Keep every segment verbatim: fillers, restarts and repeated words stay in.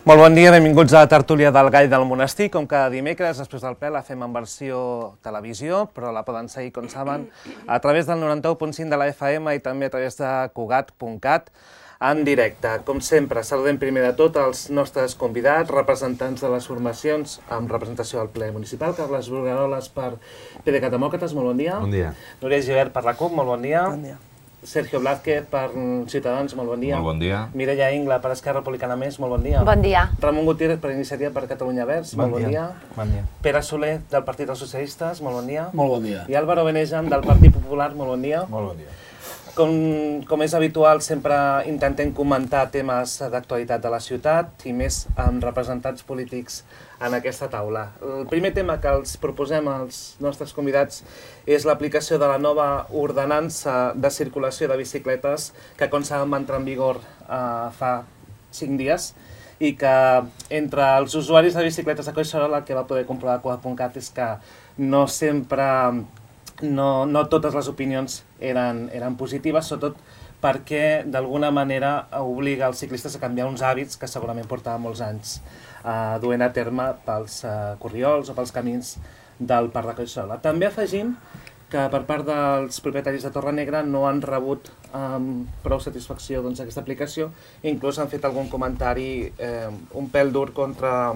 Molt bon dia, benvinguts a la tertúlia del Gall del Monestir. Com cada dimecres, després del ple, la fem en versió televisió, però la poden seguir, com saben, a través del noranta-u punt cinc de la F M i també a través de cugat punt cat en directe. Com sempre, saludem primer de tot els nostres convidats, representants de les formacions amb representació al ple municipal. Carles Brugaroles per PDeCAT Demòcrates, molt bon dia. Bon dia. Núria Gibert per la CUP, molt bon dia. Bon dia. Sergio Blázquez per Ciutadans, molt bon dia. Molt bon dia. Mireia Ingla per Esquerra Republicana Més, molt bon dia. Bon dia. Ramon Gutiérrez per Iniciativa per Catalunya Verds, molt bon dia. Bon dia. Pere Soler del Partit dels Socialistes, molt bon dia. Molt bon dia. I Álvaro Benejam del Partit Popular, molt bon dia. Molt bon dia. Com, com és habitual, sempre intentem comentar temes d'actualitat de la ciutat i més amb representants polítics en aquesta taula. El primer tema que els proposem als nostres convidats és l'aplicació de la nova ordenança de circulació de bicicletes que, com saben, va entrar en vigor eh, fa cinc dies i que entre els usuaris de bicicletes de Collserola el que va poder comprovar a cugat punt cat és que no sempre... No, no totes les opinions eren, eren positives, sobretot perquè d'alguna manera obliga els ciclistes a canviar uns hàbits que segurament portaven molts anys eh, duent a terme pels eh, corriols o pels camins del Parc de Collserola. També afegim que per part dels propietaris de Torrenegra no han rebut amb eh, prou satisfacció doncs, aquesta aplicació i inclús han fet algun comentari eh, un pèl dur contra,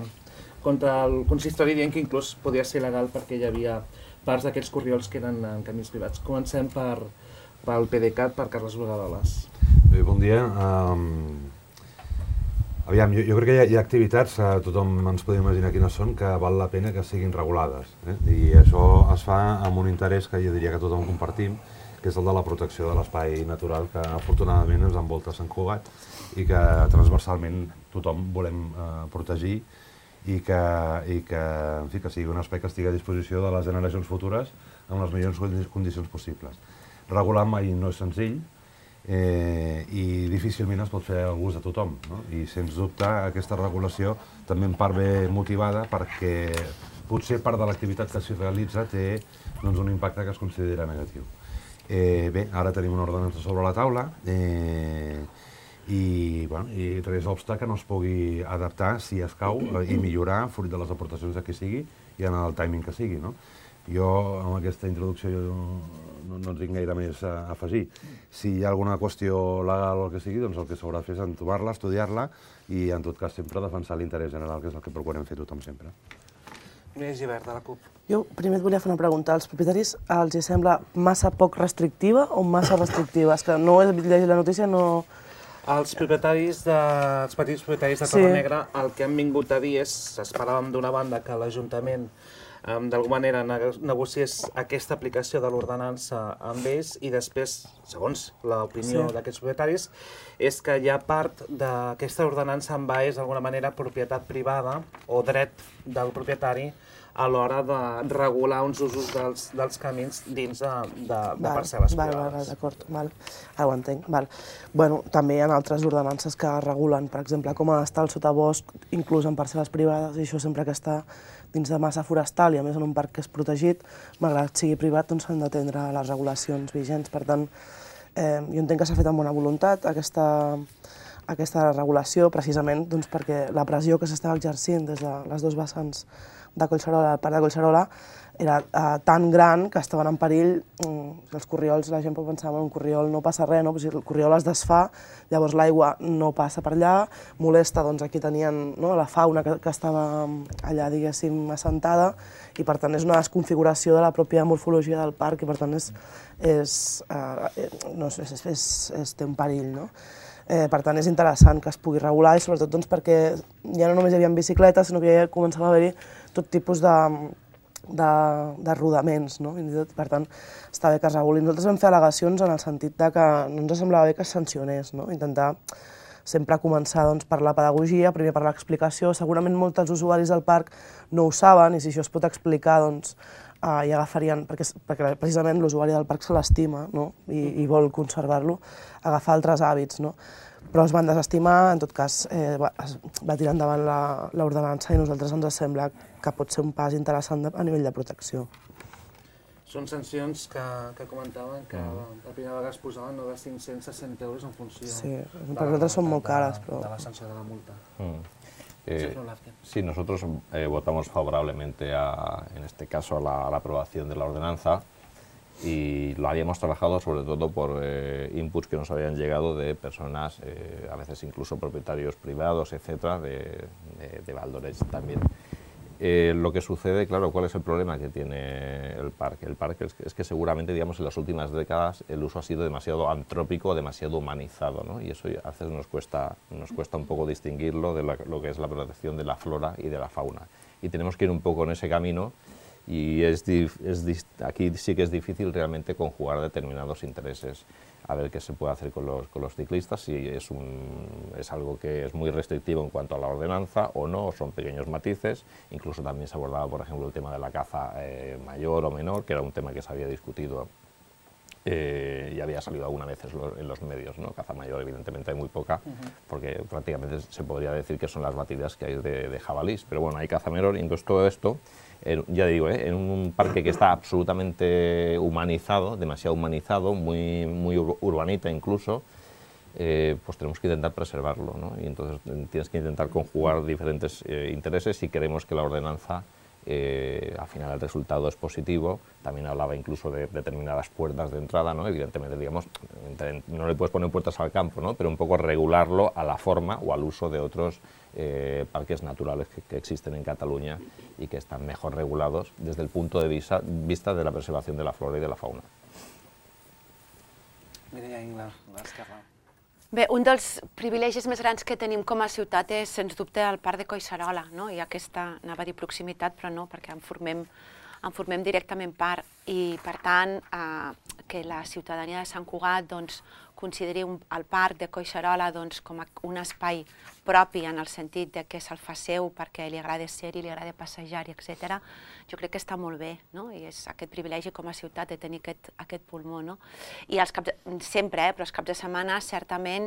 contra el consistori dient que inclús podia ser il·legal perquè hi havia parts d'aquests corriols que eren en camins privats. Comencem per, pel PDeCAT, per Carles Brugaroles. Bé, bon dia. Um, aviam, jo, jo crec que hi ha, hi ha activitats, uh, tothom ens podem imaginar quines són, que val la pena que siguin regulades. Eh? I això es fa amb un interès que jo diria que tothom compartim, que és el de la protecció de l'espai natural que afortunadament ens envolta Sant Cugat i que transversalment tothom volem uh, protegir i que, i que, en fi, que sigui un espai que estigui a disposició de les generacions futures amb les millors condicions possibles. Regular mai no és senzill eh, i difícilment es pot fer al gust de tothom, no? I sens dubte aquesta regulació també en part ve motivada perquè potser part de l'activitat que s'hi realitza té doncs, un impacte que es considera negatiu. Eh, bé, ara tenim una ordenança sobre la taula eh, i, bueno, i res obsta que no es pugui adaptar si escau eh, i millorar fruit de les aportacions de qui sigui i en el timing que sigui, no? Jo amb aquesta introducció jo no, no tinc gaire més a afegir. Si hi ha alguna qüestió legal o el que sigui, doncs el que s'haurà de fer és entomar-la, estudiar-la i en tot cas sempre defensar l'interès general, que és el que procurem fer tothom sempre. Núria Gibert, de la CUP. Jo primer et volia fer una pregunta. Als propietaris els hi sembla massa poc restrictiva o massa restrictiva? És que no he llegit la notícia, no... Els propietaris de, els petits propietaris de Torrenegra el que han vingut a dir és, esperàvem d'una banda que l'Ajuntament eh, d'alguna manera negociés aquesta aplicació de l'ordenança amb ells i després, segons l'opinió sí. d'aquests propietaris, és que hi ha part d'aquesta ordenança envaeix d'alguna manera propietat privada o dret del propietari a l'hora de regular uns usos dels, dels camins dins de, de, de val, parcel·les val, privades. Val, d'acord, val. Ara ho entenc. Val. Bueno, també hi ha altres ordenances que regulen, per exemple, com ha d'estar el sotabosc, inclús en parcel·les privades, i això sempre que està dins de massa forestal i a més en un parc que és protegit, malgrat sigui privat, doncs s'han d'atendre les regulacions vigents. Per tant, eh, jo entenc que s'ha fet amb bona voluntat aquesta, aquesta regulació, precisament doncs, perquè la pressió que s'estava exercint des de les dos vessants de Collserola, el parc de Collserola, era eh, tan gran que estaven en perill, mm, els corriols, la gent pot pensar en un corriol no passa res, no? Pues el corriol es desfà, llavors l'aigua no passa per allà, molesta, doncs aquí tenien no, la fauna que, que estava allà, diguéssim, assentada, i per tant és una desconfiguració de la pròpia morfologia del parc i per tant és, és, eh, no, és, és, és, és, té un perill, no? Eh, per tant, és interessant que es pugui regular i sobretot doncs, perquè ja no només hi havia bicicletes, sinó que ja començava a haver-hi tot tipus de, de, de rodaments, no? Per tant, està bé que es reguli. Nosaltres vam fer al·legacions en el sentit de que no ens semblava bé que es sancionés, no? Intentar sempre començar doncs, per la pedagogia, primer per l'explicació. Segurament molts dels usuaris del parc no ho saben i si això es pot explicar doncs, Uh, i agafarien, perquè, perquè precisament l'usuari del parc se l'estima no? I, i vol conservar-lo, agafar altres hàbits, no? Però es van desestimar, en tot cas eh, va, es va tirar endavant l'ordenança i a nosaltres ens sembla que pot ser un pas interessant de, a nivell de protecció. Són sancions que, que comentaven que mm. la primera vegada es posaven no, de cinc-cents a cent euros en funció... Sí, per nosaltres són molt cares, però... de la sanció de la multa. Mm. Eh, sí, nosotros eh, votamos favorablemente, a, en este caso, a la, a la aprobación de la ordenanza, y lo habíamos trabajado sobre todo por eh, inputs que nos habían llegado de personas, eh, a veces incluso propietarios privados, etcétera, de, de, de Valdoreix también. Eh, lo que sucede, claro, ¿cuál es el problema que tiene el parque? El parque es que, es que seguramente, digamos, en las últimas décadas el uso ha sido demasiado antrópico, demasiado humanizado, ¿no? Y eso a veces nos cuesta, nos cuesta un poco distinguirlo de la, lo que es la protección de la flora y de la fauna. Y tenemos que ir un poco en ese camino, y es, es, aquí sí que es difícil realmente conjugar determinados intereses, a ver qué se puede hacer con los, con los ciclistas, si es, un, es algo que es muy restrictivo en cuanto a la ordenanza o no, o son pequeños matices. Incluso también se abordaba, por ejemplo, el tema de la caza eh, mayor o menor, que era un tema que se había discutido eh, y había salido algunas veces en los medios, ¿no? Caza mayor, evidentemente, hay muy poca, uh-huh. porque prácticamente se podría decir que son las batidas que hay de, de jabalís, pero bueno, hay caza menor, y entonces todo esto, En, ya digo, ¿eh? en un parque que está absolutamente humanizado, demasiado humanizado, muy, muy urbanita incluso, eh, pues tenemos que intentar preservarlo, ¿no? Y entonces tienes que intentar conjugar diferentes eh, intereses si queremos que la ordenanza, eh, al final el resultado es positivo. También hablaba incluso de determinadas puertas de entrada, ¿no? Evidentemente, digamos, no le puedes poner puertas al campo, ¿no? Pero un poco regularlo a la forma o al uso de otros eh, parques naturales que, que existen en Cataluña y que están mejor regulados desde el punto de vista, vista de la preservación de la flora y de la fauna. Mireia Ingla, l'esquerra. Bé, un dels privilegis més grans que tenim com a ciutat és, sens dubte, el parc de Collserola, no? I aquesta, anava a dir proximitat, però no, perquè en formem, en formem directament part, i per tant eh, que la ciutadania de Sant Cugat doncs, consideri un, el parc de Collserola doncs, com a un espai propi en el sentit de que se'l fa seu perquè li agrada ser-hi, li agrada passejar-hi, etcètera, jo crec que està molt bé, no? I és aquest privilegi com a ciutat de tenir aquest, aquest pulmó, no? I els caps de, sempre, eh, però els caps de setmana, certament,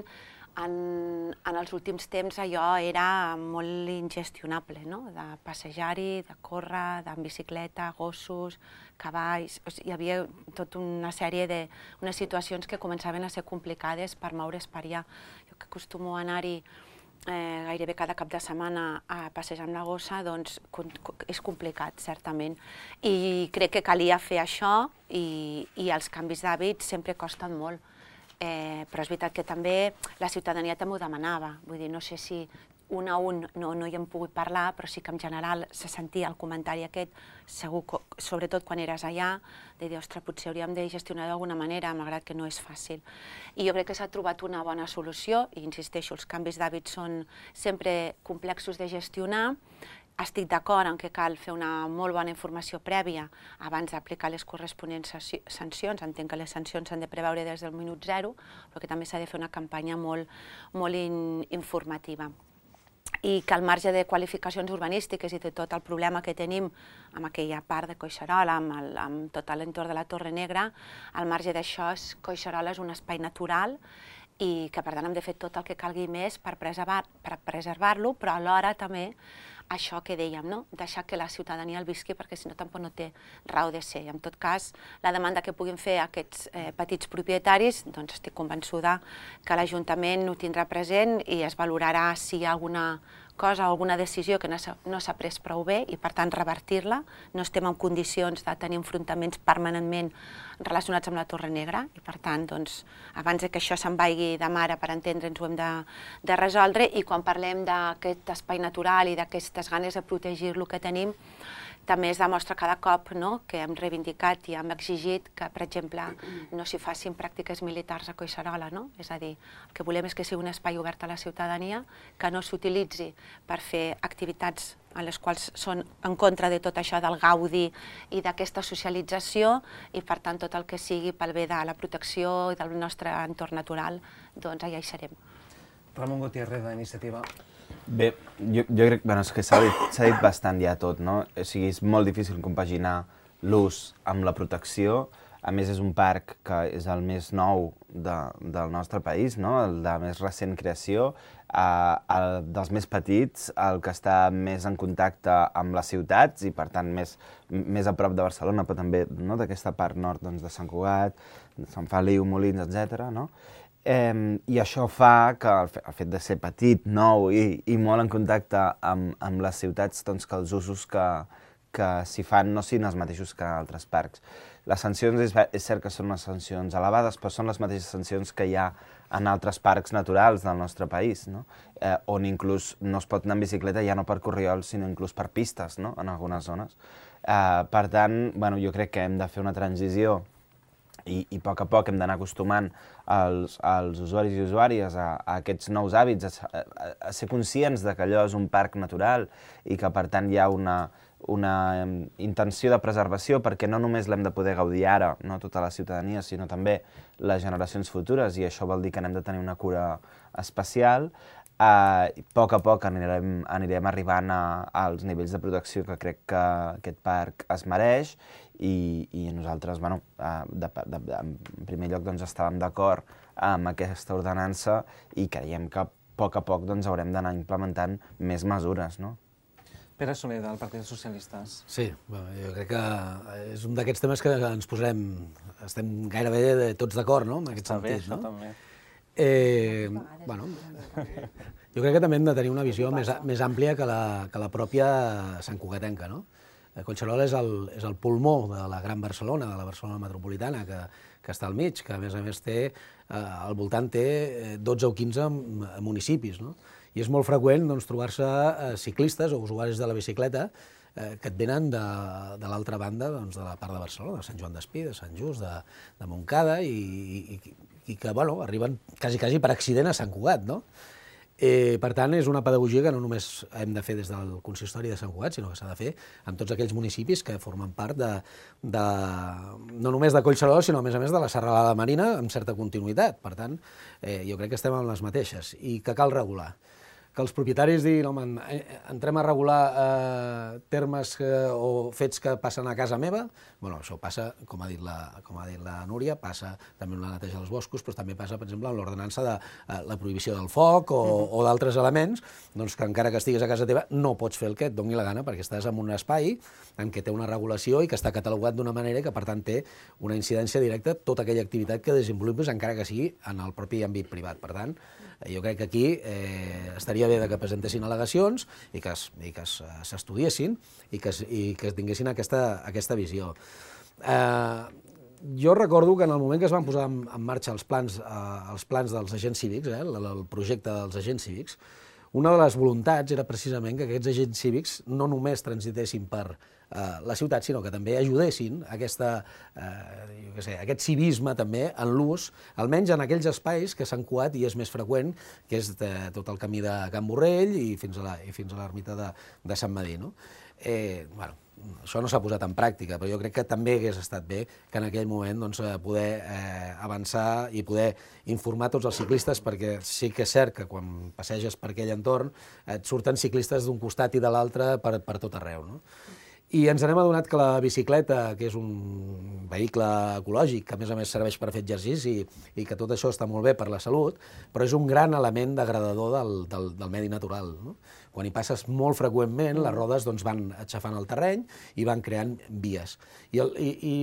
en, en els últims temps allò era molt ingestionable, no? De passejar-hi, de córrer, amb bicicleta, gossos, cavalls. O sigui, hi havia tota una sèrie de unes situacions que començaven a ser complicades per moure's per allà. Jo que acostumo a anar-hi eh, gairebé cada cap de setmana a passejar amb la gossa, doncs és complicat, certament. I crec que calia fer això, i, i els canvis d'hàbits sempre costen molt. Eh, però és veritat que també la ciutadania també ho demanava. Vull dir, no sé si un a un no, no hi hem pogut parlar, però sí que en general se sentia el comentari aquest, segur, sobretot quan eres allà, de dir, ostres, potser hauríem de gestionar d'alguna manera, malgrat que no és fàcil. I jo crec que s'ha trobat una bona solució, i insisteixo, els canvis d'hàbits són sempre complexos de gestionar. Estic d'acord en que cal fer una molt bona informació prèvia abans d'aplicar les corresponents sancions. Entenc que les sancions s'han de preveure des del minut zero, però que també s'ha de fer una campanya molt, molt in, informativa. I que al marge de qualificacions urbanístiques i de tot el problema que tenim amb aquella part de Collserola, amb, el, amb tot l'entorn de la Torre Negra, al marge d'això, Collserola és un espai natural i que per tant hem de fer tot el que calgui més per preservar, per preservar-lo, però alhora també això que dèiem, no? Deixar que la ciutadania el visqui, perquè si no tampoc no té raó de ser. En tot cas, la demanda que puguin fer aquests eh, petits propietaris, doncs estic convençuda que l'Ajuntament ho tindrà present i es valorarà si hi ha alguna cosa o alguna decisió que no s'ha pres prou bé i per tant revertir-la. No estem en condicions de tenir enfrontaments permanentment relacionats amb la Torre Negra i per tant, doncs, abans que això se'n vagi de mare, per entendre'ns, ho hem de, de resoldre. I quan parlem d'aquest espai natural i d'aquestes ganes de protegir-lo que tenim, també es demostra cada cop, no?, que hem reivindicat i hem exigit que, per exemple, no s'hi facin pràctiques militars a Collserola, no? És a dir, el que volem és que sigui un espai obert a la ciutadania, que no s'utilitzi per fer activitats en les quals són en contra de tot això del gaudi i d'aquesta socialització, i per tant tot el que sigui pel bé de la protecció i del nostre entorn natural, doncs allà hi serem. Ramon Gutiérrez, d'Iniciativa. Bé, jo, jo crec bueno, que s'ha dit, dit bastant ja tot, no? O sigui, és molt difícil compaginar l'ús amb la protecció. A més, és un parc que és el més nou de, del nostre país, no? El de més recent creació, eh, el dels més petits, el que està més en contacte amb les ciutats i, per tant, més, més a prop de Barcelona, però també, no?, d'aquesta part nord, doncs, de Sant Cugat, Sant Feliu, Molins, etcètera, no? Eh, I això fa que el, fe, el fet de ser petit, nou i, i molt en contacte amb, amb les ciutats, doncs que els usos que, que s'hi fan no siguin els mateixos que altres parcs. Les sancions és, és cert que són unes sancions elevades, però són les mateixes sancions que hi ha en altres parcs naturals del nostre país, no? eh, on inclús no es pot anar en bicicleta ja no per corriols, sinó inclús per pistes, no? En algunes zones. Eh, per tant, bueno, jo crec que hem de fer una transició I, i a poc a poc hem d'anar acostumant els, els usuaris i usuàries a, a aquests nous hàbits, a, a, a ser conscients de que allò és un parc natural i que per tant hi ha una, una intenció de preservació, perquè no només l'hem de poder gaudir ara, no tota la ciutadania, sinó també les generacions futures, i això vol dir que n'hem de tenir una cura especial. Uh, a poc a poc anirem, anirem arribant a, als nivells de protecció que crec que aquest parc es mereix, i, i nosaltres, bueno, uh, de, de, de, en primer lloc, doncs, estàvem d'acord amb aquesta ordenança i creiem que a poc a poc doncs, haurem d'anar implementant més mesures, no? Pere Soler, del Partit dels Socialistes. Sí, bueno, jo crec que és un d'aquests temes que ens posarem, estem gairebé tots d'acord, no?, en aquest Està bé, sentit, això no? també. Eh, bueno, jo crec que també hem de tenir una visió més, més àmplia que la, que la pròpia santcugatenca, no? Collserola és el, és el pulmó de la Gran Barcelona, de la Barcelona metropolitana, que, que està al mig, que a més a més té, eh, al voltant té dotze o quinze municipis, no? I és molt freqüent doncs, trobar-se eh, ciclistes o usuaris de la bicicleta eh, que et venen de, de l'altra banda, doncs, de la part de Barcelona, de Sant Joan d'Espí, de Sant Just, de, de Montcada, i, i, i que bueno, arriben quasi, quasi per accident a Sant Cugat, no? Eh, per tant, és una pedagogia que no només hem de fer des del consistori de Sant Cugat, sinó que s'ha de fer en tots aquells municipis que formen part de, de, no només de Collserola, sinó a més a més de la Serralada Marina amb certa continuïtat. Per tant, eh, jo crec que estem en les mateixes i que cal regular. Que els propietaris diguin, home, entrem a regular eh, termes que, o fets que passen a casa meva, bueno, això passa, com ha dit la, com ha dit la Núria, passa també en la neteja dels boscos, però també passa, per exemple, en l'ordenança de eh, la prohibició del foc o, o d'altres elements, doncs que encara que estiguis a casa teva no pots fer el que et doni la gana perquè estàs en un espai en què té una regulació i que està catalogat d'una manera que, per tant, té una incidència directa tota aquella activitat que desenvolupes, encara que sigui en el propi àmbit privat. Per tant, jo crec que aquí eh, estaria bé que presentessin al·legacions i que s'estudiessin i que, i que tinguessin aquesta, aquesta visió. Eh, jo recordo que en el moment que es van posar en, en marxa els plans, eh, els plans dels agents cívics, eh, el, el projecte dels agents cívics, una de les voluntats era precisament que aquests agents cívics no només transitessin per eh, la ciutat, sinó que també ajudessin a aquesta, eh, jo què sé, aquest civisme també en l'ús, almenys en aquells espais que Sant Cugat i és més freqüent, que és de, tot el camí de Can Borrell i fins a l'ermita de, de Sant Madí, no? Eh, bueno, això no s'ha posat en pràctica, però jo crec que també hagués estat bé que en aquell moment doncs, poder eh, avançar i poder informar tots els ciclistes, perquè sí que és cert que quan passeges per aquell entorn et surten ciclistes d'un costat i de l'altre per, per tot arreu, no? I ens n'hem adonat que la bicicleta, que és un vehicle ecològic, que a més a més serveix per fer exercici i que tot això està molt bé per la salut, però és un gran element degradador del, del, del medi natural, no? Quan hi passes molt freqüentment, les rodes doncs, van aixafant el terreny i van creant vies. I, el, i, i,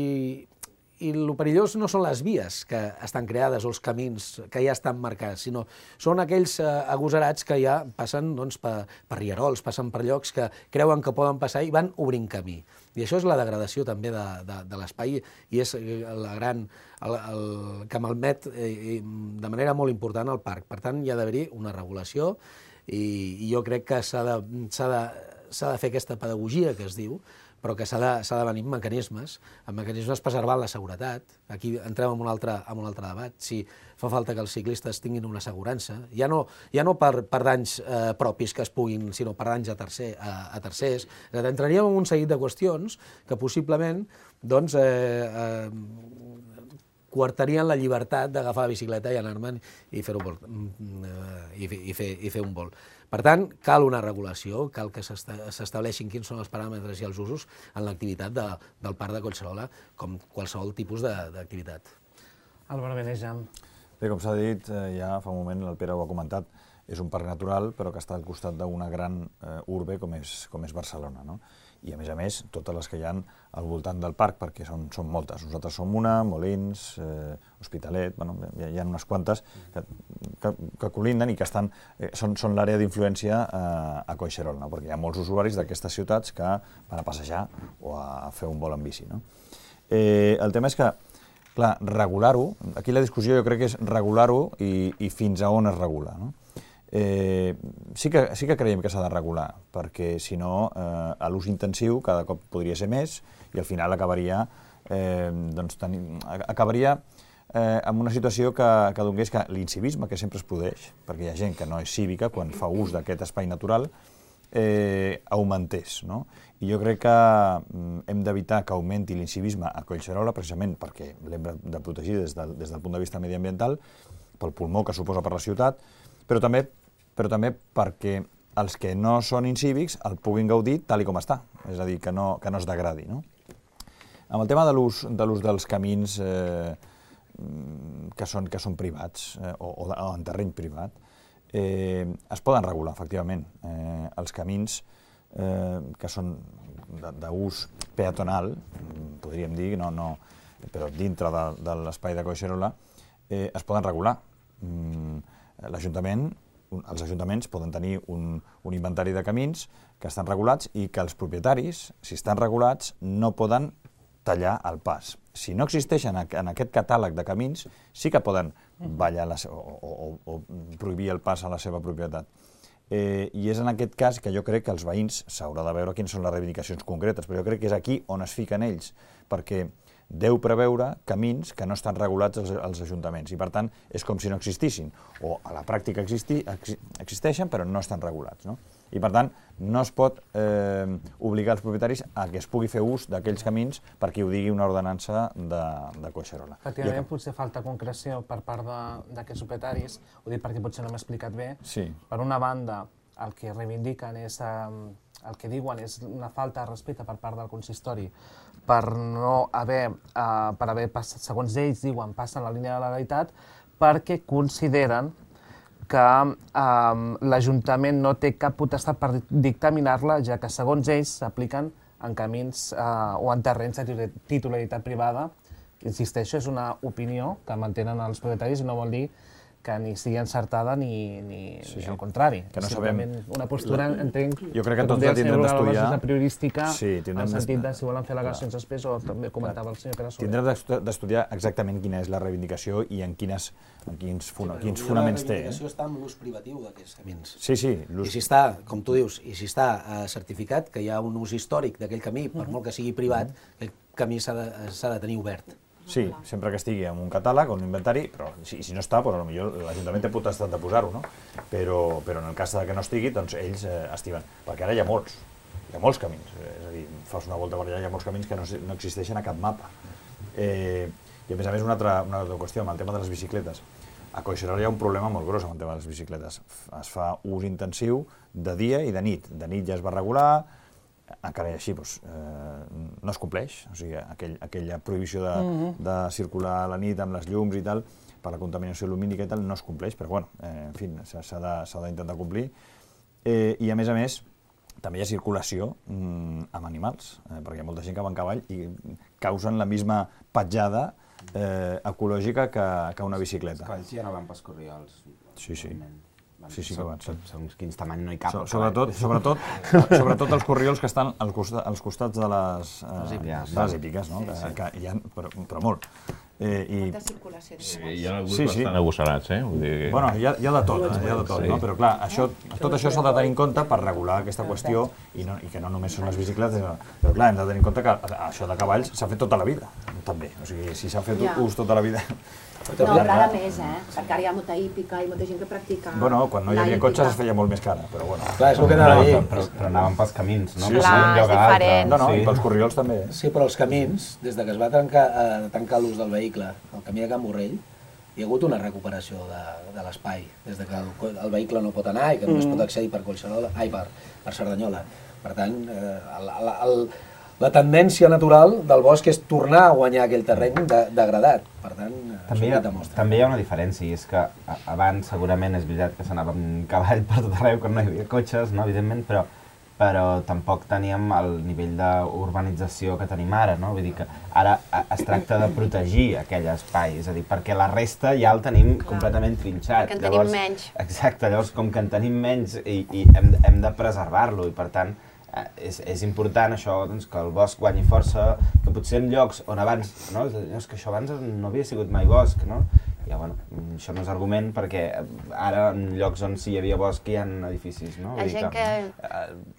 i el perillós no són les vies que estan creades o els camins que ja estan marcats, sinó són aquells eh, agosarats que ja passen doncs, per, per rierols, passen per llocs que creuen que poden passar i van obrint camí. I això és la degradació també de, de, de l'espai i és la gran, el, el, que malmet eh, de manera molt important el parc. Per tant, hi ha d'haver-hi una regulació i, i jo crec que s'ha de, s'ha de, s'ha de fer aquesta pedagogia que es diu, però que s'ha de, s'ha de venir amb mecanismes, amb mecanismes preservant la seguretat. Aquí entrem en un altre, en un altre debat, si fa falta que els ciclistes tinguin una assegurança, ja no, ja no per, per danys eh, propis que es puguin, sinó per danys a, tercer, a, a tercers. Entraríem en un seguit de qüestions que possiblement doncs, eh, eh, coartarien la llibertat d'agafar la bicicleta i anar-me'n i fer un vol. I, i, fer, i fer un vol. Per tant, cal una regulació, cal que s'estableixin quins són els paràmetres i els usos en l'activitat de, del Parc de Collserola, com qualsevol tipus d'activitat. Álvaro Beneja. Bé, com s'ha dit, ja fa un moment el Pere ho ha comentat, és un parc natural, però que està al costat d'una gran eh, urbe com és, com és Barcelona, no? i a més a més totes les que hi ha al voltant del parc, perquè són, són moltes. Nosaltres som una, Molins, eh, Hospitalet, bueno, hi, hi ha unes quantes que, que, que colinden i que estan, eh, són, són l'àrea d'influència eh, a Collserola, no? Perquè hi ha molts usuaris d'aquestes ciutats que van a passejar o a fer un vol en bici. No? Eh, el tema és que, clar, regular-ho, aquí la discussió jo crec que és regular-ho i, i fins a on es regula. No? Eh, sí, que, sí que creiem que s'ha de regular, perquè si no eh, l'ús intensiu cada cop podria ser més i al final acabaria, eh, doncs, tenint, acabaria eh, amb una situació que, que donés que l'incivisme que sempre es produeix, perquè hi ha gent que no és cívica quan fa ús d'aquest espai natural, eh, augmentés. No? I jo crec que mm, hem d'evitar que augmenti l'incivisme a Collserola precisament perquè l'hem de protegir des del, des del punt de vista mediambiental, pel pulmó que suposa per la ciutat, però també però també perquè els que no són incívics el puguin gaudir tal i com està, és a dir, que no, que no es degradi. No? Amb el tema de l'ús de l'ús dels camins eh, que, són, que són privats eh, o, o, o en terreny privat, eh, es poden regular, efectivament. Eh, els camins eh, que són d'ús peatonal, podríem dir, no, no, però dintre de, de l'espai de Collserola, eh, es poden regular. Mm, L'Ajuntament els ajuntaments poden tenir un, un inventari de camins que estan regulats i que els propietaris, si estan regulats, no poden tallar el pas. Si no existeixen en aquest catàleg de camins, sí que poden ballar la, o, o, o prohibir el pas a la seva propietat. Eh, I és en aquest cas que jo crec que els veïns s'haurà de veure quines són les reivindicacions concretes, però jo crec que és aquí on es fiquen ells, perquè deu preveure camins que no estan regulats als, als ajuntaments i, per tant, és com si no existissin. O a la pràctica existi, ex, existeixen, però no estan regulats. No? I, per tant, no es pot eh, obligar els propietaris a que es pugui fer ús d'aquells camins perquè ho digui una ordenança de, de Collserola. Efectivament, potser falta concreció per part d'aquests propietaris, ho dic perquè potser no m'he explicat bé. Sí. Per una banda, el que reivindiquen és... Eh, el que diuen és una falta de respecte per part del consistori per no haver, eh, per haver passat, segons ells diuen, passen la línia de la legalitat, perquè consideren que eh, l'Ajuntament no té cap potestat per dictaminar-la, ja que segons ells s'apliquen en camins eh, o en terrenys de titularitat privada. Insisteixo, és una opinió que mantenen els propietaris i no vol dir que ni sigui encertada ni, ni, sí, ni sí. al contrari. Que no sabem. Una postura, entenc, jo crec que tots la tindrem d'estudiar. És priorística, sí, en el sentit de si volen fer al·legacions després, o també comentava el senyor Pere Soler. Tindrem d'estudiar exactament quina és la reivindicació i en, quines, en quins, funa, sí, quins fonaments té. La reivindicació està en l'ús privatiu d'aquests camins. Sí, sí. I si està, com tu dius, i si està eh, certificat que hi ha un ús històric d'aquell camí, per molt que sigui privat, aquell camí s'ha de, s'ha de tenir obert. Sí, sempre que estigui en un catàleg o un inventari, però si, si no està, però potser l'Ajuntament té potestat de posar-ho, no? Però, però en el cas que no estigui, doncs ells eh, estimen. Perquè ara hi ha molts, hi ha molts camins. És a dir, fas una volta per allà, hi ha molts camins que no, no existeixen a cap mapa. Eh, I a més a més una altra, una altra qüestió, amb el tema de les bicicletes. A Collserola hi ha un problema molt gros amb el tema de les bicicletes. Es fa ús intensiu de dia i de nit. De nit ja es va regular, encara i així doncs, eh, no es compleix, o sigui, aquell, aquella prohibició de, uh-huh. de circular a la nit amb les llums i tal, per la contaminació lumínica i tal, no es compleix, però bueno, eh, en fi, s'ha d'intentar complir. Eh, I a més a més, també hi ha circulació mm, amb animals, eh, perquè hi ha molta gent que va en cavall i causen la misma petjada eh, ecològica que, que una bicicleta. Els cavalls ja no van pels corriols. Sí, sí. Sí, sí que van. Segons quins tamany no hi cap. So, sobretot, sobretot, sobretot els corriols que estan als, costa, als costats de les, eh, de les hípiques, no? Sí, sí. Que, que hi ha, però, però molt. Eh, i... Molta circulació. Sí, hi ha alguns sí, sí. bastant agosarats, eh? Vull dir que... Bueno, hi ha, hi ha de tot, eh? hi ha de tot, sí. No? Però clar, això, tot això s'ha de tenir en compte per regular aquesta qüestió i, no, i que no només són les bicicletes, però clar, hem de tenir en compte que això de cavalls s'ha fet tota la vida, també. O sigui, si s'ha fet ja. ús tota la vida... No, però ara més, eh? Perquè ara hi ha molta hípica i molta gent que practica... Bueno, quan no hi havia cotxes es feia molt més cara, però bueno... Clar, és el que anava a dir. Però, però anaven pels camins, no? Sí, clar, és diferent. No, no, sí. I pels corriols també. Sí, però els camins, des de que es va tancar, eh, tancar l'ús del vehicle, el camí de Can Borrell, hi ha hagut una recuperació de, de l'espai, des de que el, el vehicle no pot anar i que només mm. pot accedir per Collserola, ai, per, per Cerdanyola. Per tant, eh, el, el, el, la tendència natural del bosc és tornar a guanyar aquell terreny de, degradat. Per tant, també hi, ha, també hi ha una diferència, i és que abans segurament és veritat que s'anava amb cavall per tot arreu, quan no hi havia cotxes, no, evidentment, però però tampoc teníem el nivell d'urbanització que tenim ara, no? Vull dir que ara es tracta de protegir aquell espai, és a dir, perquè la resta ja el tenim completament trinxat. Perquè en tenim menys. Exacte, llavors com que en tenim menys i, i hem, hem de preservar-lo i per tant és, és important això, doncs, que el bosc guanyi força, que potser en llocs on abans, no? És que això abans no havia sigut mai bosc, no? Ja, bueno, això no és argument perquè ara en llocs on sí hi havia bosc hi ha edificis, no? La gent que,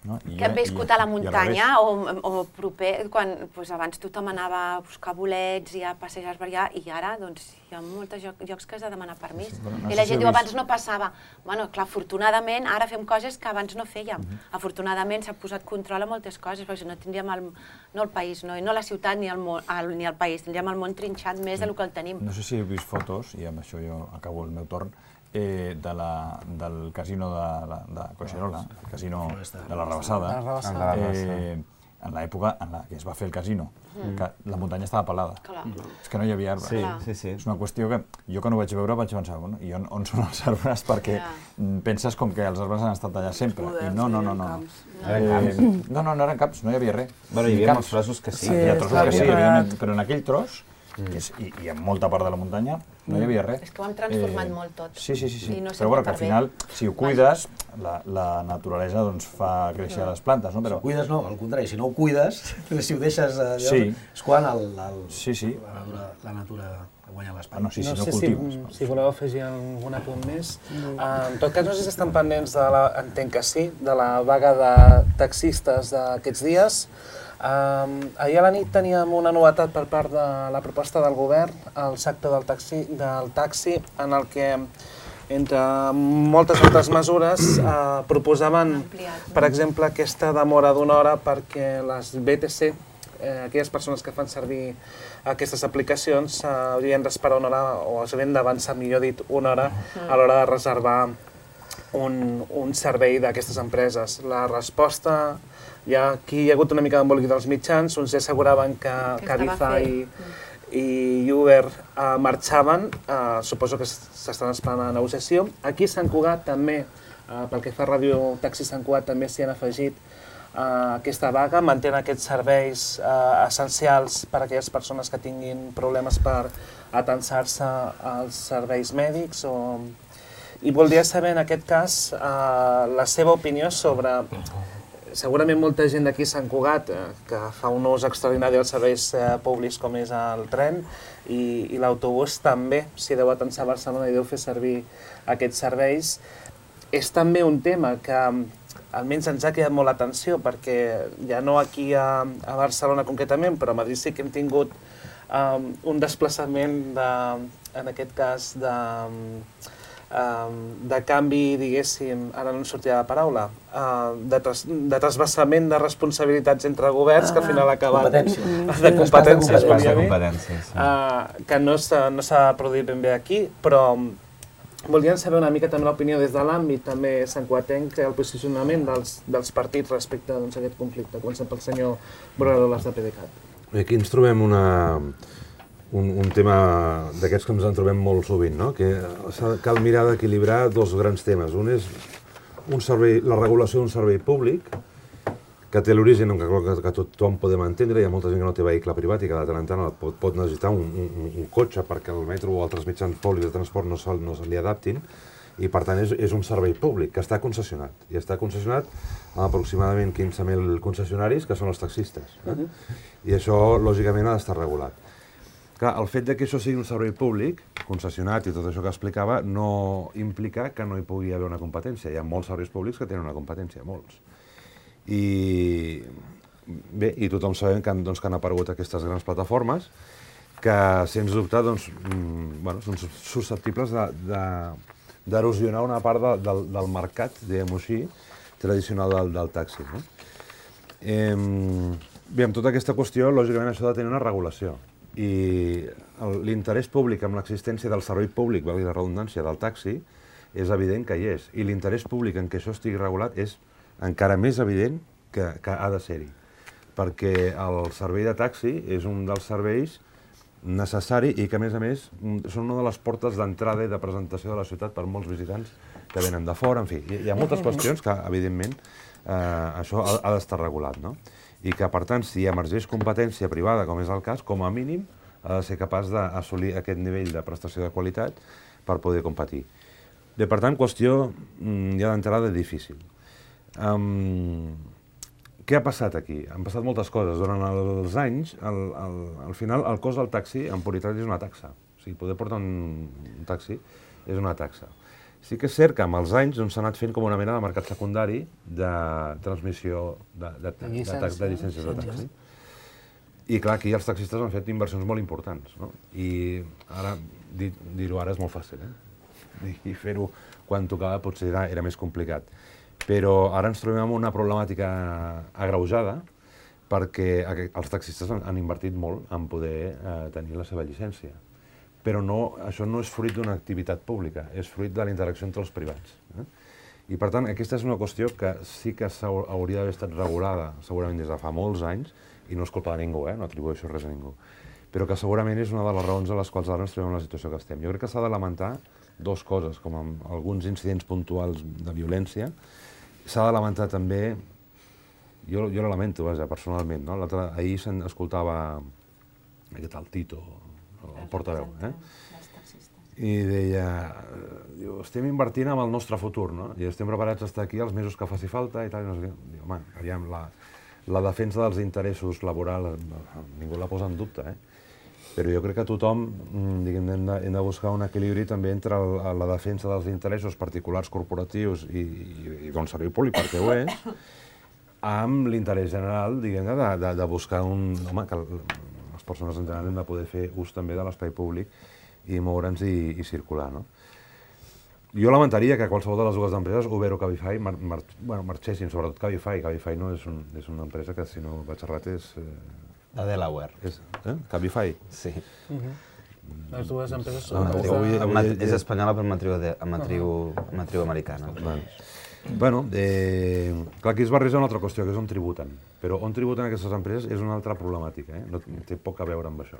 No, i que hem ja- viscut i- a la i al muntanya o, o proper, quan doncs, abans tothom anava a buscar bolets i a passejar per allà, i ara doncs, hi ha molts lloc, llocs que has de demanar permís. Sí, però no I sé la si gent heu diu, vist- abans no passava. Bueno, clar, afortunadament ara fem coses que abans no fèiem. Afortunadament s'ha posat control a moltes coses, perquè si no tindríem el, no el país, no, no la ciutat ni el, món, el, ni el país, tindríem el món trinxat més del que el tenim. No sé si heu vist fotos, i amb això jo acabo el meu torn, eh, de la, del casino de, la, de Collserola, el casino de la Rabassada, De la Rabassada. eh, en l'època en la que es va fer el casino, que la muntanya estava pelada. Clar. És que no hi havia arbres. Sí, Clar. sí, sí. És una qüestió que jo que no ho vaig veure vaig pensar, bueno, i on, on són els arbres? Perquè Ja. mm, penses com que els arbres han estat allà sempre. I no, no, no, no. no. Eren camps. Eh, no, no, no eren caps, no hi havia res. Bueno, hi Ni havia camps. molts trossos que sí. Sí, hi ha trossos clar, que sí, clar. evidentment, però en aquell tros, que és, i, i en molta part de la muntanya, no hi havia res. És que ho hem transformat molt tot. Sí, sí, sí. sí. I no però bueno, que sempre al per final, bé. si ho cuides, la, la naturalesa doncs, fa créixer les plantes, no? Si Però, ho cuides, no, al contrari, si no ho cuides, si ho deixes allò, Sí. és quan el, el, sí, sí. la, natura, la natura guanya l'espai. Bueno, sí, no si no sé cultives. si, si voleu afegir algun apunt més. Uh, en tot cas, no sé si estan pendents de la, entenc que sí, de la vaga de taxistes d'aquests dies. Um, ahir a la nit teníem una novetat per part de la proposta del govern, el sector del taxi, del taxi en el que, entre moltes altres mesures, eh, proposaven, per exemple, aquesta demora d'una hora perquè les B T C, eh, aquelles persones que fan servir aquestes aplicacions, eh, haurien d'esperar una hora, o s'haurien d'avançar, millor dit, una hora a l'hora de reservar un, un servei d'aquestes empreses. La resposta, ja aquí hi ha hagut una mica d'embolic dels mitjans, uns ja asseguraven que Que Cabify estava i Uber eh, marxaven, eh, suposo que s'estan esperant a la negociació. Aquí a Sant Cugat també, eh, pel que fa a Ràdio Taxi Sant Cugat, també s'hi han afegit eh, aquesta vaga, mantenen aquests serveis eh, essencials per a aquelles persones que tinguin problemes per atensar-se als serveis mèdics. O... I voldria saber, en aquest cas, eh, la seva opinió sobre... Segurament molta gent d'aquí a Sant Cugat eh, que fa un ús extraordinari dels serveis eh, públics com és el tren i, i l'autobús també, si deu atensar a Barcelona i deu fer servir aquests serveis. És també un tema que almenys ens ha quedat molt l'atenció perquè ja no aquí a, a Barcelona concretament, però a Madrid sí que hem tingut um, un desplaçament de, en aquest cas de... de canvi, diguéssim, ara no em sortirà la paraula, de, tras, de trasbassament de responsabilitats entre governs, que al final ha acabat... Competències. De competències, Traspàs de volia dir. competències, sí. Uh, que no s'ha no s'ha produït ben bé aquí, però volíem saber una mica també l'opinió des de l'àmbit també santcugatenc, el posicionament dels, dels partits respecte doncs, a aquest conflicte. Comencem pel senyor Borradoles de PDeCAT. Aquí ens trobem una... Un, un tema d'aquests que ens en trobem molt sovint, no? Que cal mirar d'equilibrar dos grans temes. Un és un servei, la regulació d'un servei públic, que té l'origen que, que, que tothom podem entendre. Hi ha molta gent que no té vehicle privat i que de tant en tant pot, pot necessitar un, un, un cotxe perquè el metro o altres mitjans públics de transport no se, no se li adaptin, i per tant és, és un servei públic que està concessionat. I està concessionat a aproximadament quinze mil concessionaris, que són els taxistes. Eh? Uh-huh. I això, lògicament, ha d'estar regulat. Clar, el fet de que això sigui un servei públic, concessionat i tot això que explicava, no implica que no hi pugui haver una competència. Hi ha molts serveis públics que tenen una competència, molts. I bé, i tothom sabem que han, doncs, que han aparegut aquestes grans plataformes que, sens dubte, doncs, mm, bueno, són susceptibles d'erosionar una part de, del, del mercat, diguem-ho així, tradicional del, del taxi. No? Eh, bé, amb tota aquesta qüestió, lògicament, això ha de tenir una regulació. I l'interès públic amb l'existència del servei públic, valgui la redundància, del taxi, és evident que hi és. I l'interès públic en què això estigui regulat és encara més evident que, que ha de ser-hi. Perquè el servei de taxi és un dels serveis necessari i que, a més a més, són una de les portes d'entrada i de presentació de la ciutat per molts visitants que venen de fora, en fi. Hi ha moltes qüestions que, evidentment, això ha d'estar regulat, no? I que, per tant, si emergeix competència privada, com és el cas, com a mínim ha de ser capaç d'assolir aquest nivell de prestació de qualitat per poder competir. Bé, per tant, qüestió ja d'entrada difícil. Què ha passat aquí? Han passat moltes coses. Durant els anys, al final, el cost del taxi en puritat és una taxa. O sigui, poder portar un taxi és una taxa. Sí que és cert que amb els anys s'ha anat fent com una mena de mercat secundari de transmissió de llicències de taxi. I clar, aquí els taxistes han fet inversions molt importants. I ara, dir-ho ara és molt fàcil, eh? I fer-ho quan tocava potser era més complicat. Però ara ens trobem amb una problemàtica agreujada perquè els taxistes han invertit molt en poder tenir la seva llicència. Però això no és fruit d'una activitat pública, és fruit de la interacció entre els privats. I, per tant, aquesta és una qüestió que sí que hauria d'haver estat regulada, segurament des de fa molts anys, i no és culpa de ningú, no atribueixo res a ningú, però que segurament és una de les raons a les quals ara ens trobem en la situació que estem. Jo crec que s'ha de lamentar dues coses, com amb alguns incidents puntuals de violència. S'ha de lamentar també, jo la lamento, vaja, personalment, ahir s'escoltava aquest el Tito, el portaveu, i deia, estem invertint en el nostre futur, i estem preparats a estar aquí els mesos que faci falta i tal. Home, aviam, la defensa dels interessos laborals ningú la posa en dubte, però jo crec que tothom hem de buscar un equilibri també entre la defensa dels interessos particulars corporatius i d'un servei públic, perquè ho és, amb l'interès general de buscar un... Home, que les persones en general hem de poder fer ús també de l'espai públic i moure'ns i circular. Jo lamentaria que qualsevol de les dues empreses, Uber o Cabify, marxessin, sobretot Cabify. Cabify no és una empresa que, si no vaig errat, és... De Delaware. Cabify? Sí. Les dues empreses són... És espanyola però amb matriu americana. Bé, clar, aquí es barreja una altra qüestió, que és on tributen. Però on tributen aquestes empreses és una altra problemàtica, no té poc a veure amb això.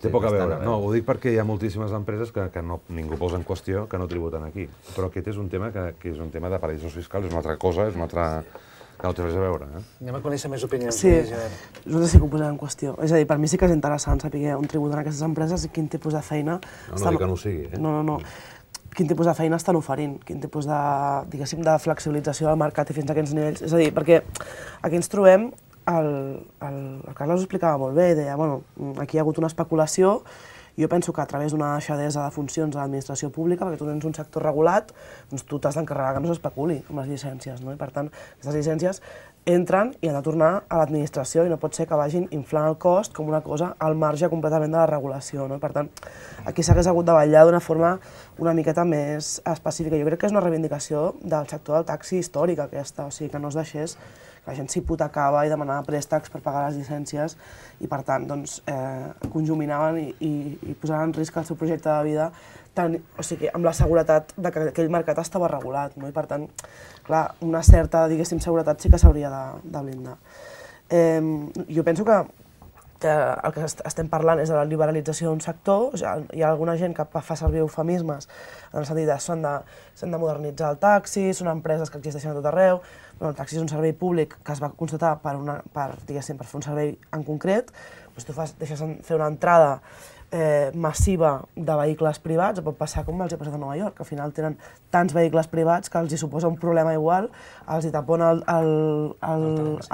Té poc a veure. No, ho dic perquè hi ha moltíssimes empreses que ningú posa en qüestió que no tributen aquí. Però aquest és un tema que és un tema de paradisos fiscals, és una altra cosa, és una altra... que no té res a veure. Anem a conèixer més opinions. Sí, nosaltres sí que ho posem en qüestió. És a dir, per mi sí que és interessant saber on tributen aquestes empreses i quin tipus de feina... No, no dic que no ho sigui, eh? No, no, no. Quin tipus de feina estan oferint, quin tipus de, diguéssim, de flexibilització del mercat i fins a quins nivells. És a dir, perquè aquí ens trobem, el, el, el Carles ho explicava molt bé, deia, bueno, aquí hi ha hagut una especulació, jo penso que a través d'una deixadesa de funcions a l'administració pública, perquè tu tens un sector regulat, doncs tu t'has d'encarregar que no s'especuli amb les llicències, no? I per tant, aquestes llicències entren i han de tornar a l'administració i no pot ser que vagin inflant el cost com una cosa al marge completament de la regulació, no? Per tant, aquí s'hagués hagut de vetllar d'una forma una miqueta més específica. Jo crec que és una reivindicació del sector del taxi històric aquesta, o sigui, que no es deixés que la gent s'hipotecava i demanava préstecs per pagar les llicències i, per tant, doncs, eh, conjuminaven i, i, i posaven en risc el seu projecte de vida tan, o sigui, amb la seguretat de que aquell mercat estava regulat, no? I, per tant, clar, una certa, diguéssim, seguretat sí que s'hauria de, de blindar. Eh, jo penso que que el que estem parlant és de la liberalització d'un sector, o sigui, hi ha alguna gent que fa servir eufemismes en el sentit de s'han de, s'han de modernitzar el taxi, són empreses que existeixen a tot arreu, però el taxi és un servei públic que es va constatar per, una, per, diguéssim, per fer un servei en concret, doncs tu fas, deixes fer una entrada eh, massiva de vehicles privats, pot passar com els ha passat a Nova York, que al final tenen tants vehicles privats que els hi suposa un problema igual, els hi tapona el, el, el,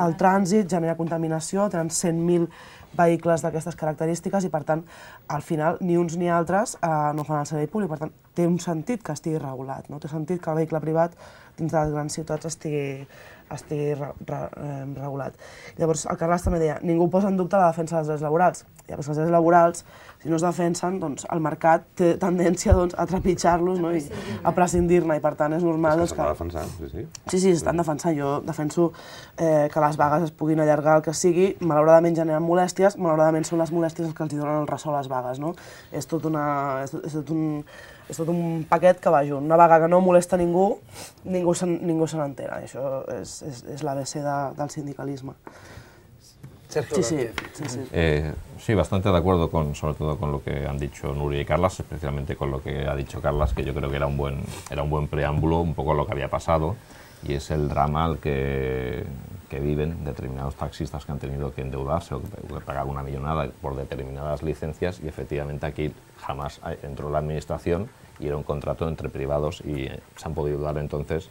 el trànsit, genera contaminació, tenen cent mil vehicles d'aquestes característiques i, per tant, al final, ni uns ni altres eh, no fan el servei públic. Per tant, té un sentit que estigui regulat, no? Té sentit que el vehicle privat dins de les grans ciutats estigui, estigui re, re, eh, regulat. Llavors, el Carles també deia, ningú posa en dubte la defensa dels drets laborals. Ja, perquè els drets laborals, si no es defensen, doncs el mercat té tendència doncs, a trepitjar-los, no? I a prescindir-ne, i per tant és normal... És que s'està defensant, sí, sí. Sí, sí, s'estan defensant. Jo defenso eh, que les vagues es puguin allargar el que sigui, malauradament generen molèsties, malauradament són les molèsties els que els donen el ressò a les vagues, no? És tot, una, és tot, és tot, un, és tot un paquet que va junt. Una vaga que no molesta ningú, ningú se ningú se n'entera. Això és, és, és l'A B C de, del sindicalisme. Sí, sí, sí, sí. Eh, sí, bastante de acuerdo con, sobre todo con lo que han dicho Nuria y Carlas, especialmente con lo que ha dicho Carlas, que yo creo que era un buen, era un buen preámbulo, un poco lo que había pasado, y es el drama al que, que viven determinados taxistas que han tenido que endeudarse o que, que pagar una millonada por determinadas licencias, y efectivamente aquí jamás entró la administración y era un contrato entre privados y eh, se han podido dar entonces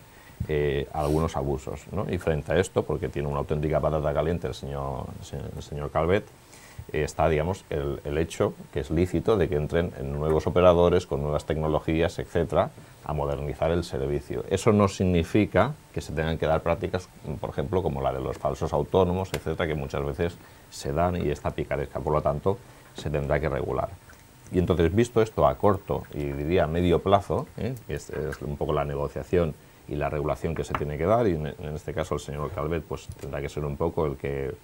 Eh, algunos abusos, ¿no? Y frente a esto, porque tiene una auténtica patata caliente el señor, el señor Calvet, eh, está, digamos, el, el hecho, que es lícito, de que entren en nuevos operadores con nuevas tecnologías, etcétera, a modernizar el servicio. Eso no significa que se tengan que dar prácticas, por ejemplo, como la de los falsos autónomos, etcétera, que muchas veces se dan y está picaresca, por lo tanto, se tendrá que regular. Y entonces, visto esto a corto y diría a medio plazo, ¿eh? que es, es un poco la negociación y la regulación que se tiene que dar, y en, en este caso el señor Calvet pues tendrá que ser un poco el que,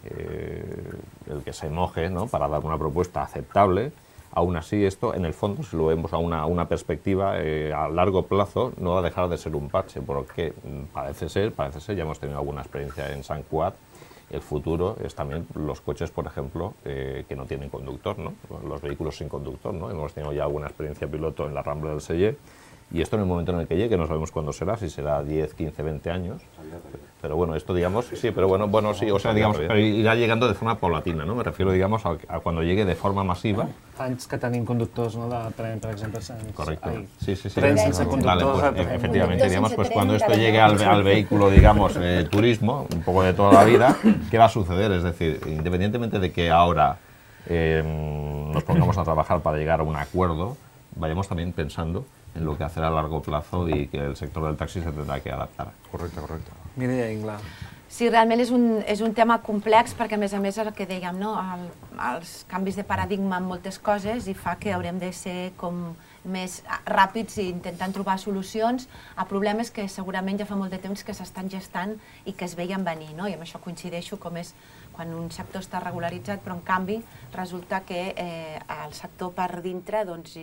eh, el que se moje, ¿no?, para dar una propuesta aceptable. Aún así, esto, en el fondo, si lo vemos a una, una perspectiva eh, a largo plazo, no va a dejar de ser un parche, porque parece ser, parece ser, ya hemos tenido alguna experiencia en Sant Cugat, el futuro es también los coches, por ejemplo, eh, que no tienen conductor, ¿no?, los vehículos sin conductor, ¿no? Hemos tenido ya alguna experiencia piloto en la Rambla del Sella. Y esto en el momento en el que llegue, no sabemos cuándo será, si será diez, quince, veinte años. Pero bueno, esto digamos, sí, pero bueno, bueno, sí, o sea, digamos, pero irá llegando de forma paulatina, ¿no? Me refiero, digamos, a, a cuando llegue de forma masiva. Fa anys que tenim conductors, ¿no?, de tren, per exemple, sense... Correcto. Ai, Sí, sí, sí. tren sense conductors. Vale, pues, efectivamente, digamos, pues cuando esto llegue al, al vehículo, digamos, eh, turismo, un poco de toda la vida, ¿qué va a suceder? Es decir, independientemente de que ahora eh, nos pongamos a trabajar para llegar a un acuerdo, vayamos también pensando en lo que hacer a largo plazo y que el sector del taxi se tendrà que adaptar. Correcte, correcte. Mireia Ingla. Sí, realment és un, és un tema complex perquè, a més a més, el que dèiem, no? el, els canvis de paradigma en moltes coses i fa que haurem de ser com més ràpids i intentant trobar solucions a problemes que segurament ja fa molt de temps que s'estan gestant i que es veien venir, no? I amb això coincideixo com és quan un sector està regularitzat, però en canvi resulta que eh, el sector per dintre doncs,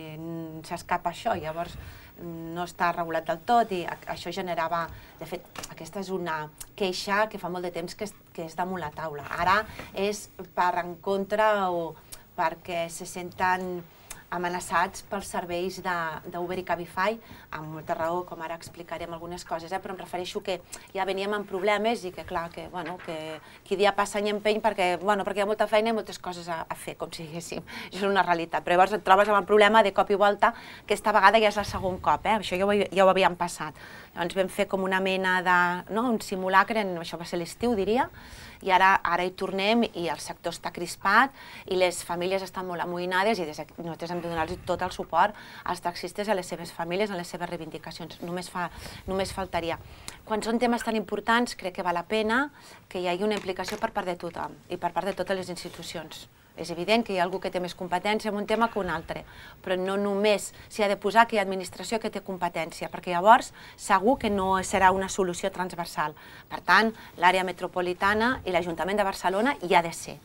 s'escapa això, llavors no està regulat del tot i això generava, de fet, aquesta és una queixa que fa molt de temps que és, que és damunt la taula. Ara és per en contra o perquè se senten amenaçats pels serveis d'Uber i Cabify, amb molta raó, com ara explicarem algunes coses, eh? Però em refereixo que ja veníem amb problemes i que, clar, que, bueno, que qui dia passa any empeny perquè, bueno, perquè hi ha molta feina i moltes coses a, a fer, com si diguéssim. Això és una realitat. Però llavors et trobes amb el problema de cop i volta, que esta vegada ja és el segon cop, eh? Això ja ho, ja ho havíem passat. Llavors vam fer com una mena de, no?, un simulacre, això va ser l'estiu, diria, i ara, ara hi tornem i el sector està crispat i les famílies estan molt amoïnades i des de, nosaltres hem de donar-los tot el suport als taxistes, a les seves famílies, a les seves reivindicacions. Només, fa, només faltaria. Quan són temes tan importants, crec que val la pena que hi hagi una implicació per part de tothom i per part de totes les institucions. És evident que hi ha algú que té més competència en un tema que un altre, però no només s'hi ha de posar que hi ha administració que té competència, perquè llavors segur que no serà una solució transversal. Per tant, l'àrea metropolitana i l'Ajuntament de Barcelona hi ha de ser.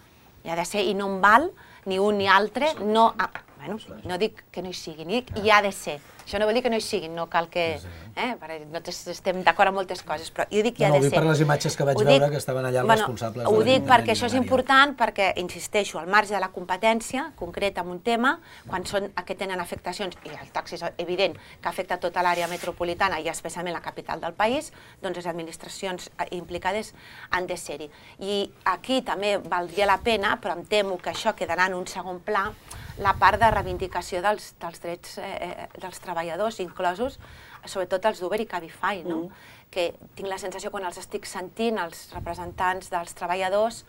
Hi ha de ser i no en val ni un ni altre, no, ah, bueno, no dic que no hi sigui, ni dic hi ha de ser. Això no vol dir que no hi siguin, no cal que... Eh, nosaltres estem d'acord amb moltes coses, però jo dic que hi ha de ser. No, ho dic per les imatges que vaig veure, que estaven allà els responsables. Ho dic perquè això és important, perquè, insisteixo, al marge de la competència concreta en un tema, quan són que tenen afectacions, i el taxi és evident que afecta tota l'àrea metropolitana i especialment la capital del país, doncs les administracions implicades han de ser-hi. I aquí també valdria la pena, però em temo que això quedarà en un segon pla, la part de reivindicació dels, dels drets eh, dels treballadors, inclosos sobretot els d'Uber i Cabify, no? Mm. Que tinc la sensació, quan els estic sentint, els representants dels treballadors,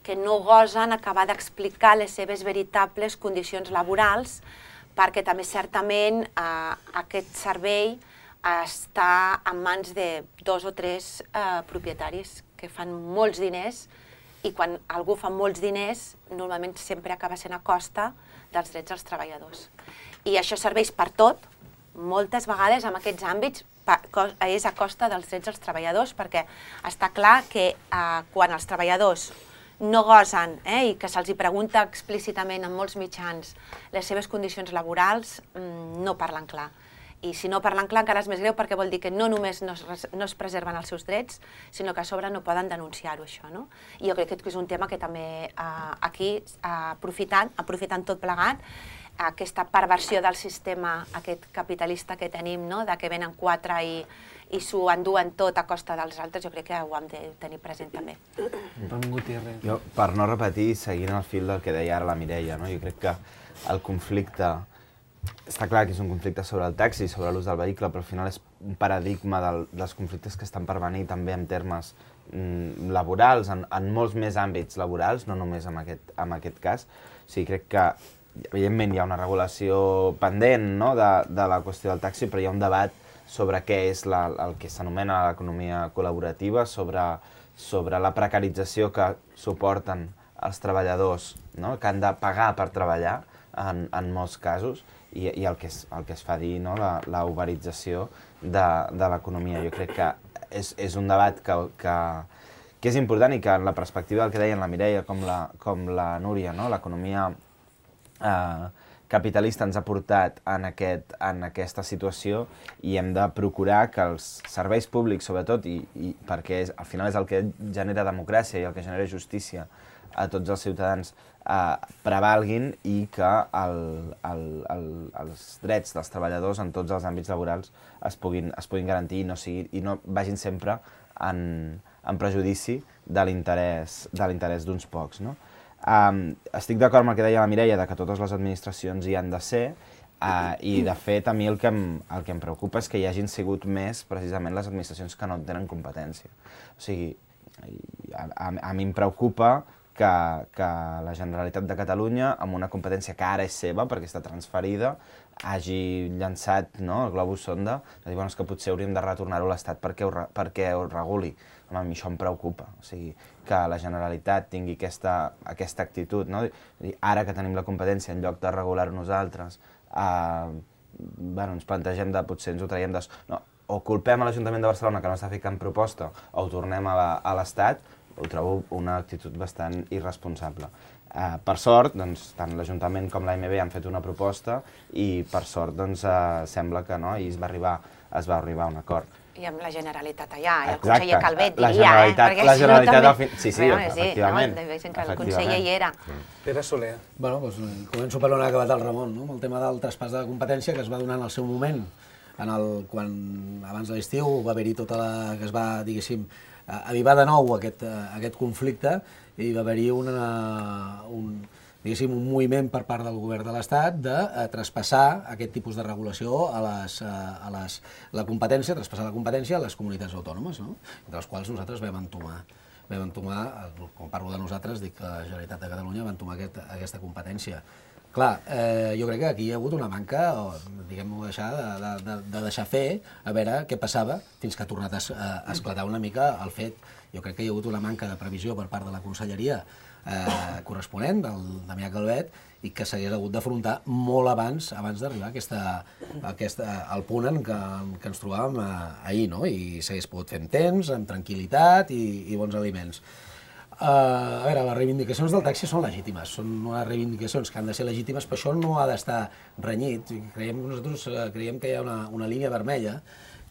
que no gosen acabar d'explicar les seves veritables condicions laborals, perquè també certament eh, aquest servei està en mans de dos o tres eh, propietaris que fan molts diners, i quan algú fa molts diners, normalment sempre acaba sent a costa dels drets dels treballadors. I això serveix per tot, moltes vegades en aquests àmbits és a costa dels drets dels treballadors, perquè està clar que eh, quan els treballadors no gosen eh, i que se'ls pregunta explícitament en molts mitjans les seves condicions laborals, no parlen clar. I si no parlen clar encara és més greu perquè vol dir que no només no es, no es preserven els seus drets, sinó que a sobre no poden denunciar-ho, això, no? I jo crec que és un tema que també eh, aquí, eh, aprofitant, aprofitant tot plegat, aquesta perversió del sistema, aquest capitalista que tenim, no? De que venen quatre i, i s'ho enduen tot a costa dels altres, jo crec que ho hem de tenir present també. Jo, per no repetir, seguint el fil del que deia ara la Mireia, no? Jo crec que el conflicte, està clar que és un conflicte sobre el taxi, sobre l'ús del vehicle, però al final és un paradigma del, dels conflictes que estan per venir també en termes mm, laborals, en, en molts més àmbits laborals, no només en aquest, en aquest cas. O sigui, crec que evidentment hi ha una regulació pendent, no? de, de la qüestió del taxi, però hi ha un debat sobre què és la, el que s'anomena l'economia col·laborativa, sobre, sobre la precarització que suporten els treballadors, no? Que han de pagar per treballar en, en molts casos, i, i el, que es, el que es fa dir, no? la, la uberització de, de l'economia. Jo crec que és, és un debat que, que, que és important i que en la perspectiva del que deien la Mireia com la, com la Núria, no? L'economia eh, capitalista ens ha portat en, aquest, en aquesta situació i hem de procurar que els serveis públics, sobretot, i, i perquè és, al final és el que genera democràcia i el que genera justícia a tots els ciutadans, eh, prevalguin i que el, el, el, els drets dels treballadors en tots els àmbits laborals es puguin, es puguin garantir i no, sigui, i no vagin sempre en, en prejudici de l'interès de l'interès d'uns pocs, no? Um, estic d'acord amb el que deia la Mireia, de que totes les administracions hi han de ser, uh, i de fet a mi el que, em, el que em preocupa és que hi hagin sigut més precisament les administracions que no tenen competència. O sigui, a, a, a mi em preocupa que, que la Generalitat de Catalunya, amb una competència que ara és seva perquè està transferida, hagi llançat, no, el globus sonda, de dir, bueno, és que potser hauríem de retornar-ho a l'Estat perquè, ho, perquè ho reguli. Home, a mi això em preocupa, o sigui, que la Generalitat tingui aquesta, aquesta actitud, no? Ara que tenim la competència, en lloc de regular-ho nosaltres, eh, bueno, ens plantegem de potser ens ho traiem de... No, o culpem a l'Ajuntament de Barcelona que no està ficant proposta, o ho tornem a l'Estat, ho trobo una actitud bastant irresponsable. Eh, per sort, doncs, tant l'Ajuntament com l'A M B han fet una proposta i per sort doncs, eh, sembla que no, i es va arribar, es va arribar a un acord. I amb la Generalitat allà, i el Exacte. conseller Calvet La diria, Generalitat, eh? la Generalitat si no, al fin... Sí, sí, bueno, efectivament. Sí, no? Que el conseller hi era. Pere Soler. Bueno, doncs, començo per on ha acabat el Ramon, no? Amb el tema del traspàs de la competència que es va donar en el seu moment, en el, quan abans de l'estiu va haver-hi tota la... que es va, diguéssim, avivar de nou aquest, aquest conflicte i va haver-hi una... un, diguéssim, un moviment per part del govern de l'Estat de eh, traspassar aquest tipus de regulació a les, a les, la competència, traspassar la competència a les comunitats autònomes, no? Entre les quals nosaltres vam entomar, vam entomar, quan parlo de nosaltres, dic que la Generalitat de Catalunya va entomar aquest, aquesta competència. Clar, eh, jo crec que aquí hi ha hagut una manca, o, diguem-ho, deixar, de, de, de deixar fer, a veure què passava, fins que ha tornat a, a esclatar una mica el fet. Jo crec que hi ha hagut una manca de previsió per part de la Conselleria eh, corresponent, del Damià Calvet, i que s'hagués hagut d'afrontar molt abans abans d'arribar a aquesta, a aquesta, al punt en què, en què ens trobàvem eh, ahir, no? I s'hagués pogut fer amb temps, amb tranquil·litat i, i bons aliments. Uh, a veure, les reivindicacions del taxi són legítimes, són unes reivindicacions que han de ser legítimes, però això no ha d'estar renyit. Creiem, nosaltres uh, creiem que hi ha una, una línia vermella,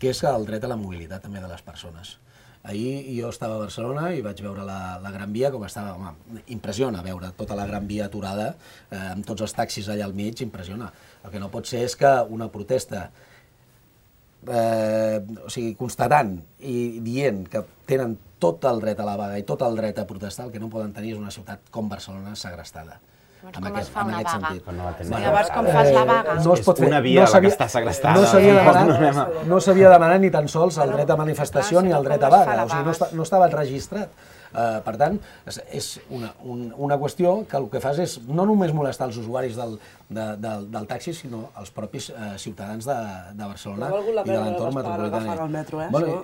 que és el dret a la mobilitat també de les persones. Ahir jo estava a Barcelona i vaig veure la, la Gran Via, com estava, home, impressiona veure tota la Gran Via aturada, eh, amb tots els taxis allà al mig, impressiona. El que no pot ser és que una protesta, eh, o sigui, constatant i dient que tenen tot el dret a la vaga i tot el dret a protestar, el que no poden tenir és una ciutat com Barcelona segrestada. Com es fa una vaga? No Llavors, com fas la vaga? No es pot fer. Una via no la que està segrestada. No s'havia demanat, no s'havia demanat ni tan sols el dret a manifestació ni el dret a vaga. O sigui, no, està, no estava registrat. Uh, per tant, és una, un, una qüestió que el que fas és no només molestar els usuaris del, de, del, del taxi, sinó els propis uh, ciutadans de, de Barcelona i de l'entorn metropolità. El metro, eh? Bueno,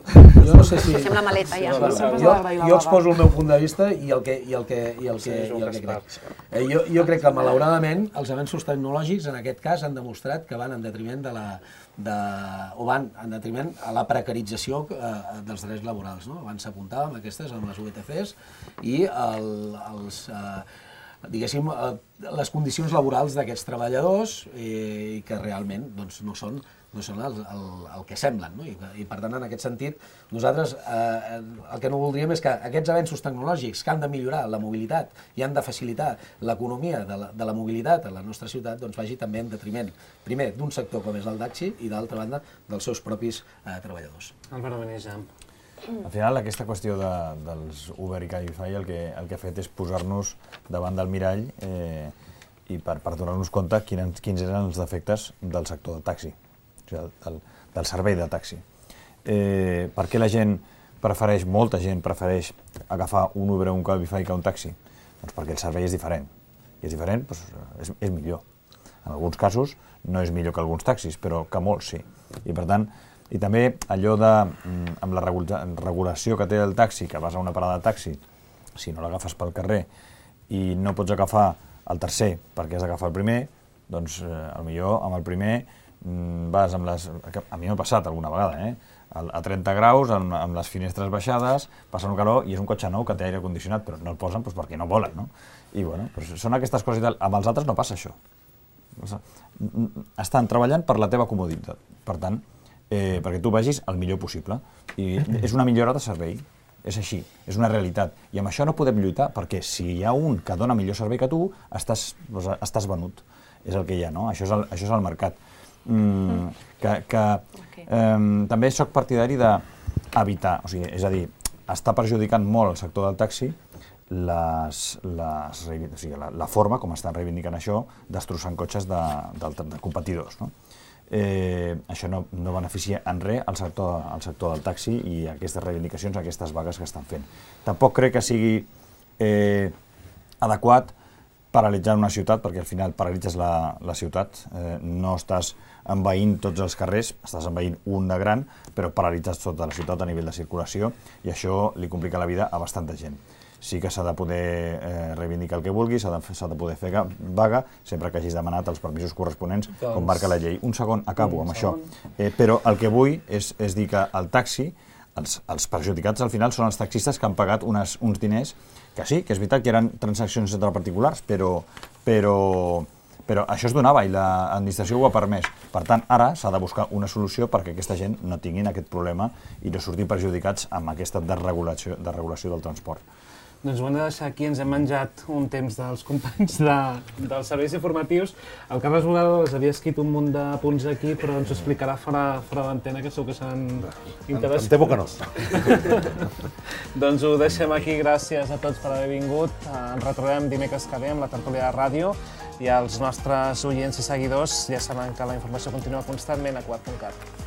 jo no sé si... Deixem la maleta ja. Jo, jo exposo el meu punt de vista i el que, i el que, i el que, i el que crec. Eh, jo, jo crec que, malauradament, els avenços tecnològics, en aquest cas, han demostrat que van en detriment de la... De, o van en detriment a la precarització eh, dels drets laborals, no? Abans s'apuntàvem aquestes amb les U T Cs i el, els, eh, diguéssim, eh, les condicions laborals d'aquests treballadors eh, i que realment doncs, no són no són el, el, el que semblen. No? I, I per tant, en aquest sentit, nosaltres eh, el que no voldríem és que aquests avenços tecnològics que han de millorar la mobilitat i han de facilitar l'economia de, la, de la mobilitat a la nostra ciutat doncs vagi també en detriment, primer, d'un sector com és el taxi i, d'altra banda, dels seus propis eh, treballadors. Álvaro Benejam. Al final, aquesta qüestió de, dels Uber i Cabify el que, el que ha fet és posar-nos davant del mirall eh, i per, per donar-nos compte quins, quins eren els defectes del sector del taxi, o sigui, del, del servei de taxi. Eh, per què la gent prefereix, molta gent prefereix agafar un Uber o un Cabify que un taxi? Doncs perquè el servei és diferent. I és diferent, doncs és, és millor. En alguns casos no és millor que alguns taxis, però que molts sí. I per tant, i també allò de, amb la regulació que té el taxi, que vas a una parada de taxi, si no l'agafes pel carrer i no pots agafar el tercer perquè has d'agafar el primer, doncs eh, potser amb el primer vas amb les... A mi m'ha passat alguna vegada, eh? A trenta graus, amb, amb les finestres baixades, passant un calor, i és un cotxe nou que té aire condicionat, però no el posen doncs, perquè no volen, no? I bueno, doncs són aquestes coses i tal. Amb els altres no passa això. Estan treballant per la teva comoditat. Per tant, eh, perquè tu vagis el millor possible. I és una millora de servei. És així, és una realitat. I amb això no podem lluitar, perquè si hi ha un que dona millor servei que tu, estàs, doncs, estàs venut. És el que hi ha, no? Això és el, això és el mercat. Mm, que, que okay. eh, també soc partidari d'evitar, o sigui, és a dir, està perjudicant molt el sector del taxi les, les, o sigui, la, la forma com estan reivindicant això, destrossant cotxes de, de, de competidors, no? Eh, això no, no beneficia en res al sector, al sector del taxi i aquestes reivindicacions, aquestes vagues que estan fent. Tampoc crec que sigui eh, adequat paralitzar una ciutat, perquè al final paralitzes la, la ciutat, eh, no estàs envaint tots els carrers, estàs envaint un de gran, però paralitzes tota la ciutat a nivell de circulació i això li complica la vida a bastanta gent. Sí que s'ha de poder eh, reivindicar el que vulgui, s'ha de, s'ha de poder fer vaga, sempre que hagis demanat els permisos corresponents, doncs, com marca la llei. Un segon, acabo amb això. Eh, però el que vull és, és dir que el taxi, els, els perjudicats al final són els taxistes que han pagat unes, uns diners, que sí, que és veritat que eren transaccions entre particulars, però, però, però això es donava i l'administració ho ha permès. Per tant, ara s'ha de buscar una solució perquè aquesta gent no tinguin aquest problema i no surtin perjudicats amb aquesta desregulació, desregulació del transport. Doncs ho hem de deixar aquí, ens hem menjat un temps dels companys de, dels serveis informatius. El Carles Bogados havia escrit un munt de punts aquí, però ens ho explicarà fora, fora d'antena, que segur que seran interessants. Em temo que no. Doncs ho deixem aquí, gràcies a tots per haver vingut. Ens retrobem dimecres que ve amb la tertúlia de ràdio i els nostres oients i seguidors ja saben que la informació continua constantment a quart punt cat.